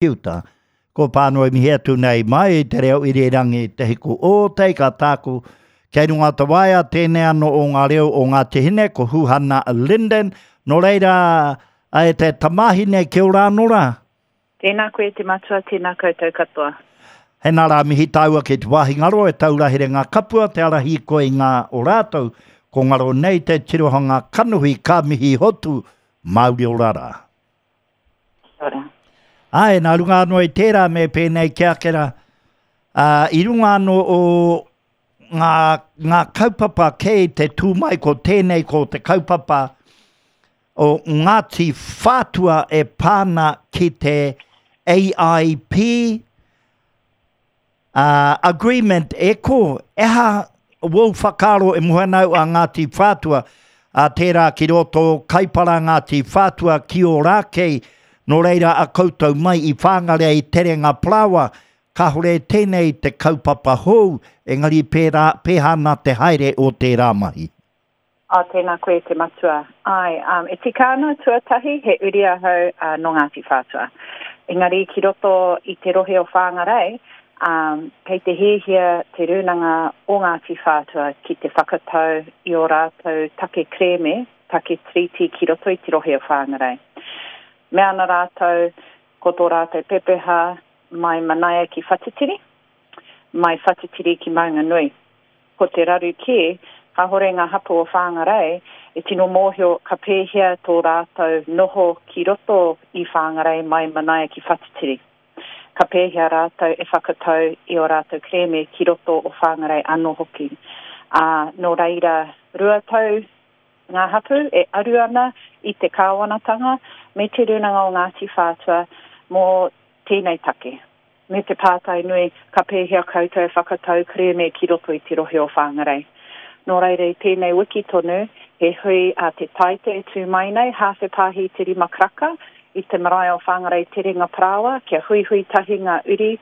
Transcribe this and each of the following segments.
Ki uta. Ko Pānui mihi atu nei mai i te reo irirangi Te Hiku o Te Ika Tāku. Kei runga o te waea tēnei anō o ngā reo o Ngāti Hine, ko Huhana Linden. Nō reira, e te tamāhine, kia ora anō rā. Tēnā koe te matua, tēnā koutou katoa. Hena rā mihi tāua ki te wāhi ngaro e taura here ngā kapua, te ara hīkoi ngā o rātou. Ko ngaro nei te tirohanga kanohi ka mihi hotu, Māori ora rā. Kia ora. Āe, nā runga anō i tērā me pēnei ki ake rā, ā, i runga anō o ngā, ngā kaupapa kei te tū mai ko tēnei ko te kaupapa o Ngāti Whātua e pā ana ki te AIP, Ā, agreement, e ko, e aha wōu whakaaro e moe ana au a Ngāti Whātua, ā, tērā ki roto Kaipara Ngāti Whātua ki Ōrākei, nō reira a koutou mai i Whāngarea i Terenga Parāoa, kāore tēnei te kaupapa hou, engari pērā, pēhā ana te haere o tērā mahi. Oh, tēnā koe te matua. Āe, um, e tika ana, tuatahi, he uri ahau uh, nō Ngāti Whātua. Engari, ki roto i te rohe o Whāngarei, um, kei te hiahia te rūnanga o Ngāti Whātua ki te whakatau i ō rātou take kerēme, take tiriti ki roto i te rohe o Whāngarei. Mea ana rātou, ko tō rātou pepeha mai Manaia ki Whatitiri, mai Whatitiri ki Maunganui. Ko te raru kē, kāhore ngā hapū o Whāngarei e tino mōhio ka pēhea tō rātou noho ki roto i Whāngarei mai Manaia ki Whatitiri. Ka pēhea rātou e whakatau i ō rātou kerēme ki roto o Whāngarei anō hoki. Ā, nō reira, 2 tau ngā hapū e aru ana i te kāwanatanga me Te Rūnanga o Ngāti Whātua mō tēnei take. Me te pātai nui, ka pēhea koutou e whakatau kerēme ki roto i te rohe o Whāngarei? Nō reira i tēnei wiki tonu, he hui a Te Taite e tū mai nei, hāwhe pāhi te rima karaka, i te marae o Whāngarei Terenga Parāoa, kia huihui tahi ngā uri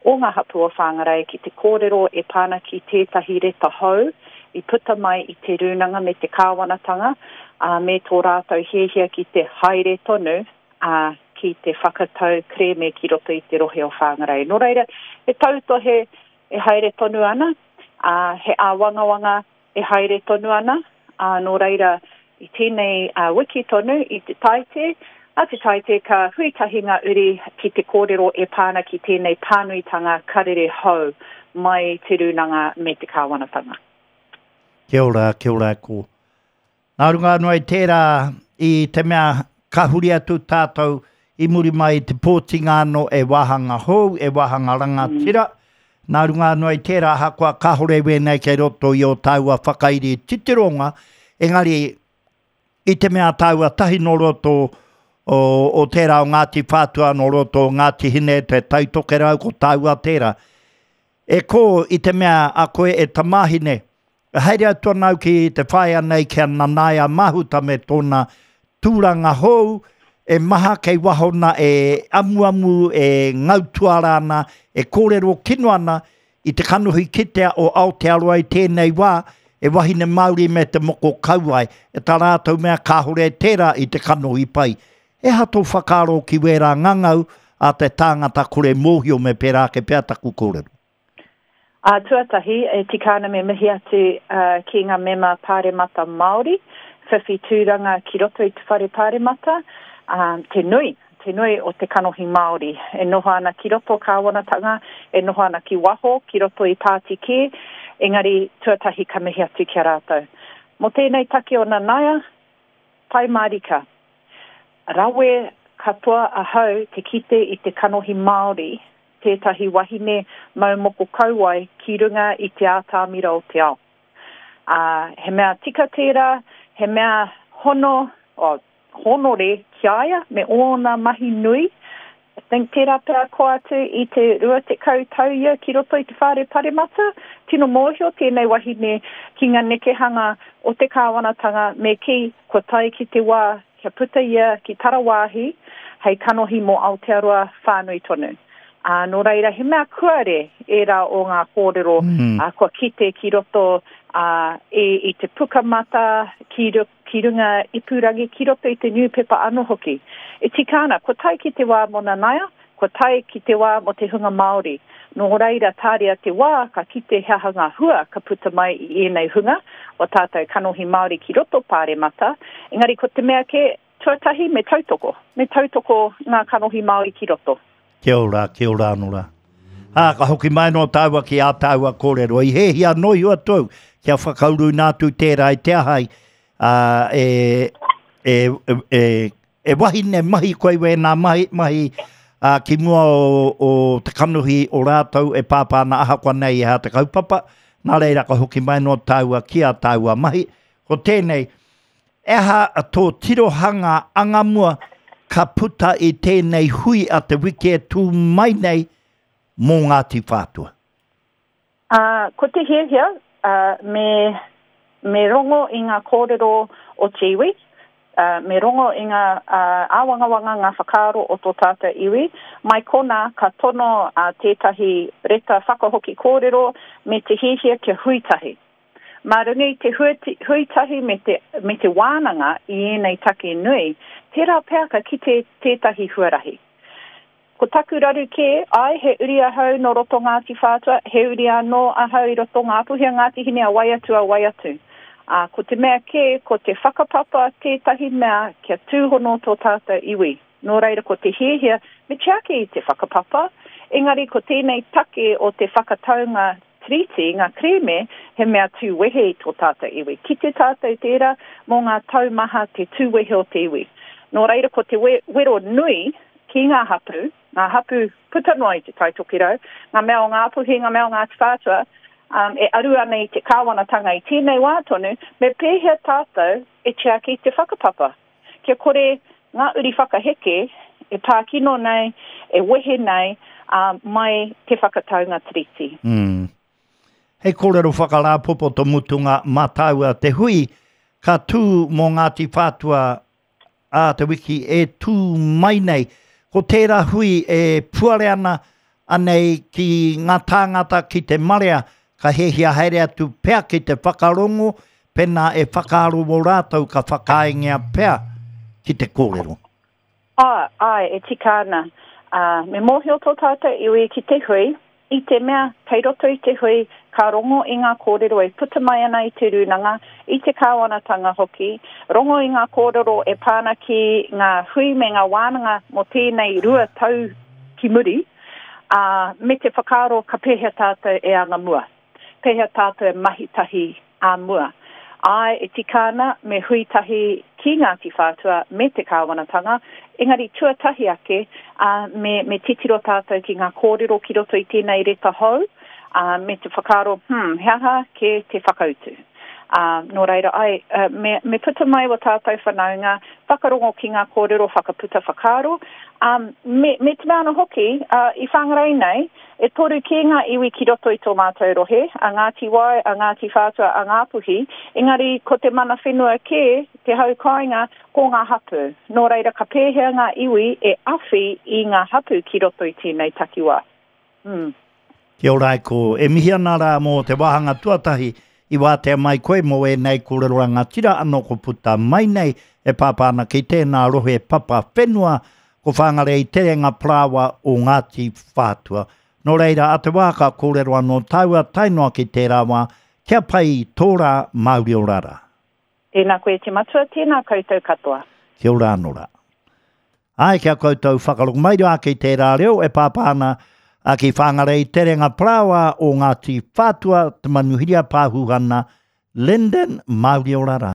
o ngā hapū o Whāngarei ki te kōrero e pā ana ki tētahi reta hou i puta mai i te rūnanga me te kāwanatanga, ā, me tō rātou hiahia ki te haere tonu ā, ki te whakatau kerēme ki roto i te rohe o Whāngarei. Nō reira, he tautohe e haere tonu ana, ā, he āwangawanga e haere tonu ana, ā, nō reira, i tēnei wiki tonu, i te Taite, a te Taite ka hui tahi ngā uri ki te kōrero e pā ana ki tēnei pānuitanga karere hou mai Te Rūnanga me te Kāwanatanga. Kia ora, kia ora ko. Nā runga anō i tērā, i te mea ka huri atu tātou i muri mai i te pōtinga anō e wāhanga hou, e wāhanga rangatira, nā runga anō i tērā, ahakoa kāore wēnei kei roto i ō tāua whakairi titironga, engari i te mea tāua tahi nō roto o, o tērā o Ngāti Whātua, nō roto o Ngāti Hine, Te Tai Tokerau, ko tāua tērā. E kō, i te mea a koe e tamāhine, Haere atu ana au ki te whaea nei ki a Nanaia Mahuta me tōna tūranga hou, e maha kei waho na e amuamu, e ngau tuara ana, e kōrero kino ana i te kanohi kitea o Aotearoa i tēnei wā, e wahine Māori me te moko kauae, e tā rātou mea kāore tērā i te kanohi pai. He aha tō whakaaro ki wērā ngangau a te tāngata kore mōhio me pērā ake pea taku kōrero? Ā, tuatahi, e tika ana me mihi atu ki ngā mema Pāremata Māori, whiwhi tūranga ki roto i te Whare Pāremata, ā, te nui, te nui o te kanohi Māori e noho ana ki roto kāwanatanga, e noho ana ki waho, ki roto i pāti kē, engari tuatahi ka mihi atu ki a rātou. Mō tēnei take o Nanaia, pai mārika. Rawe katoa ahau te kite i te kanohi Māori tētahi wahine mau moko kauae ki runga i te ātamira o te ao. Ā, he mea tika tērā, he mea hono, oh, hōnore ki a ia me ōna mahi nui. I think tērā pea koa atu i te 20 tau ia ki roto i te whare paremata. Tino mōhio tēnei wahine ki ngā nekehanga o te kāwanatanga me kī kua tae ki te wā kia puta ia ki tarawāhi hei kanohi mō Aotearoa whānui tonu. Ā, nō reira, he mea kuare ērā o ngā kōrero mm. ā, kua kite ki roto ā, i, i te pukamata, ki, ki runga ipurangi, ki roto i te niupepa anō hoki. E tika ana, kua tae ki te wā mō Nanaia, Kua tae ki te wā mō te hunga Māori. Nō reira, tāria te wā ka kite he aha ngā hua ka puta mai i ēnei hunga, o tātou kanohi Māori ki roto Pāremata. Engari ko te mea kē, tuatahi me tautoko, me tautoko ngā kanohi Māori ki roto. Kia ora, kia ora anō rā. Ā, ka hoki mai anō tāua ki ā tāua kōrero. I hēhia anō iho atu au kia whakauruina atu tērā i te aha i, ā, e, e, e, e wahine mahi koe i wēnā mahi, mahi ā, ki mua o, o te kanohi o rātou e pāpā ana ahakoa nei e hā te kaupapa. Nā reira ka hoki mai anō tāua ki ā tāua mahi. Ko tēnei, e aha tō tirohanga angamua ka puta i tēnei hui a te wiki e tū mai nei mō Ngāti Whātua? Ā, ko te hiahia, ā, me, me rongo i ngā kōrero o te iwi, ā, me rongo i ngā, ā, āwangawanga, ngā whakaaro o tō tātou iwi. Mai konā, ka tono, ā, tētahi reta whakahoki kōrero me te hiahia kia hui tahi. Mā runga i te hui tahi me te, me te wānanga i ēnei take nui, tērā pea ka kite tētahi huarahi. Ko taku raru kē, āe, he uri ahau nō roto Ngāti Whātua, he uri anō ahau i roto Ngāpuhi a Ngāti Hine a wai atu a wai atu. Ā, ko te mea kē, ko te whakapapa tētahi mea kia tūhono tō tātou iwi. Nō reira ko te hiahia, me tiaki i te whakapapa, engari ko tēnei take o te whakataunga Tiriti, ngā kerēme, he mea tū wehe i tō tātou iwi. Kite tātou tērā mō ngā tau maha te tū wehe o te iwi. Nō reira ko te wero nui ki ngā hapū, ngā hapū puta noa i Te Tai Tokerau, ngā mea o Ngāpuhi, ngā mea o Ngāti Whātua, um, e aru ana i te kāwanatanga i tēnei wā tonu, me pēhea tātou e tiaki te whakapapa? Kia kore ngā uri whakaheke e pā kino nei, e wehe nei, um, mai te whakataunga Tiriti. Mm. Hei kōrero whakarāpopoto mutunga mā tāua te hui ka tū mō Ngāti Whātua ā te wiki e tū mai nei. Ko tērā hui e puare ana anei ki ngā tāngata ki te marea ka hiahia haere atu pea ki te whakarongo pēnā e whakaaro wō rātou ka whakaaengia pea ki te kōrero. Ā, āe, e tika ana. Ā, me mōhio tō tātou iwi ki te hui, I te mea, kei roto i te hui, ka rongo i ngā kōrero e puta mai ana i te rūnanga, i te kāwanatanga hoki, rongo i ngā kōrero e pā ana ki ngā hui me ngā wānanga mō tēnei 2 tau ki muri, ā, me te whakaaro ka pēhea tātou e anga mua, pēhea tātou e mahi tahi ā mua. Āe, e tika ana me hui tahi ki Ngāti Whātua me te kāwanatanga, engari tuatahi ake, ā, me, me titiro tātou ki ngā kōrero ki roto i tēnei reta hou, ā, me te whakaaro, hmm, he aha kē te whakautu? Ā, nō reira, āe, me, me puta mai wā tātou whanaunga, whakarongo ki ngā kōrero, whakaputa whakaaro, ā, me, me te mea anō hoki, ā, i Whangarei nei, E toru kē ngā iwi ki roto i tō mātou rohe, a Ngāti Wai, a Ngāti Whātua, a Ngāpuhi, engari ko te mana whenua kē, te hau kāinga, ko ngā hapū. Nō reira ka pēhea ngā iwi e awhi i ngā hapū ki roto i tēnei takiwā? Mm. Kia ora e kō. E mihi ana rā mō te wāhanga tuatahi i wātea mai koe mō ēnei kōrero rangatira anō ko puta mai nei e pāpā ana ki tēnā rohe papa whenua Ko Whangarei Terenga Parāoa o Ngāti Whātua. Nō reira, a te wā ka kōrero anō tāua tae noa ki tērā wā, kia pai tō rā Māori ora rā. Tēnā koe te matua, tēnā koutou katoa. Kia ora anō rā. Āe, kia koutou whakarongo mai rā ki tērā reo e pāpā ana ki Whangarei Terenga Parāoa o Ngāti Whātua, Te Manuhiri a Pāhuhana, Linden, Māori ora rā.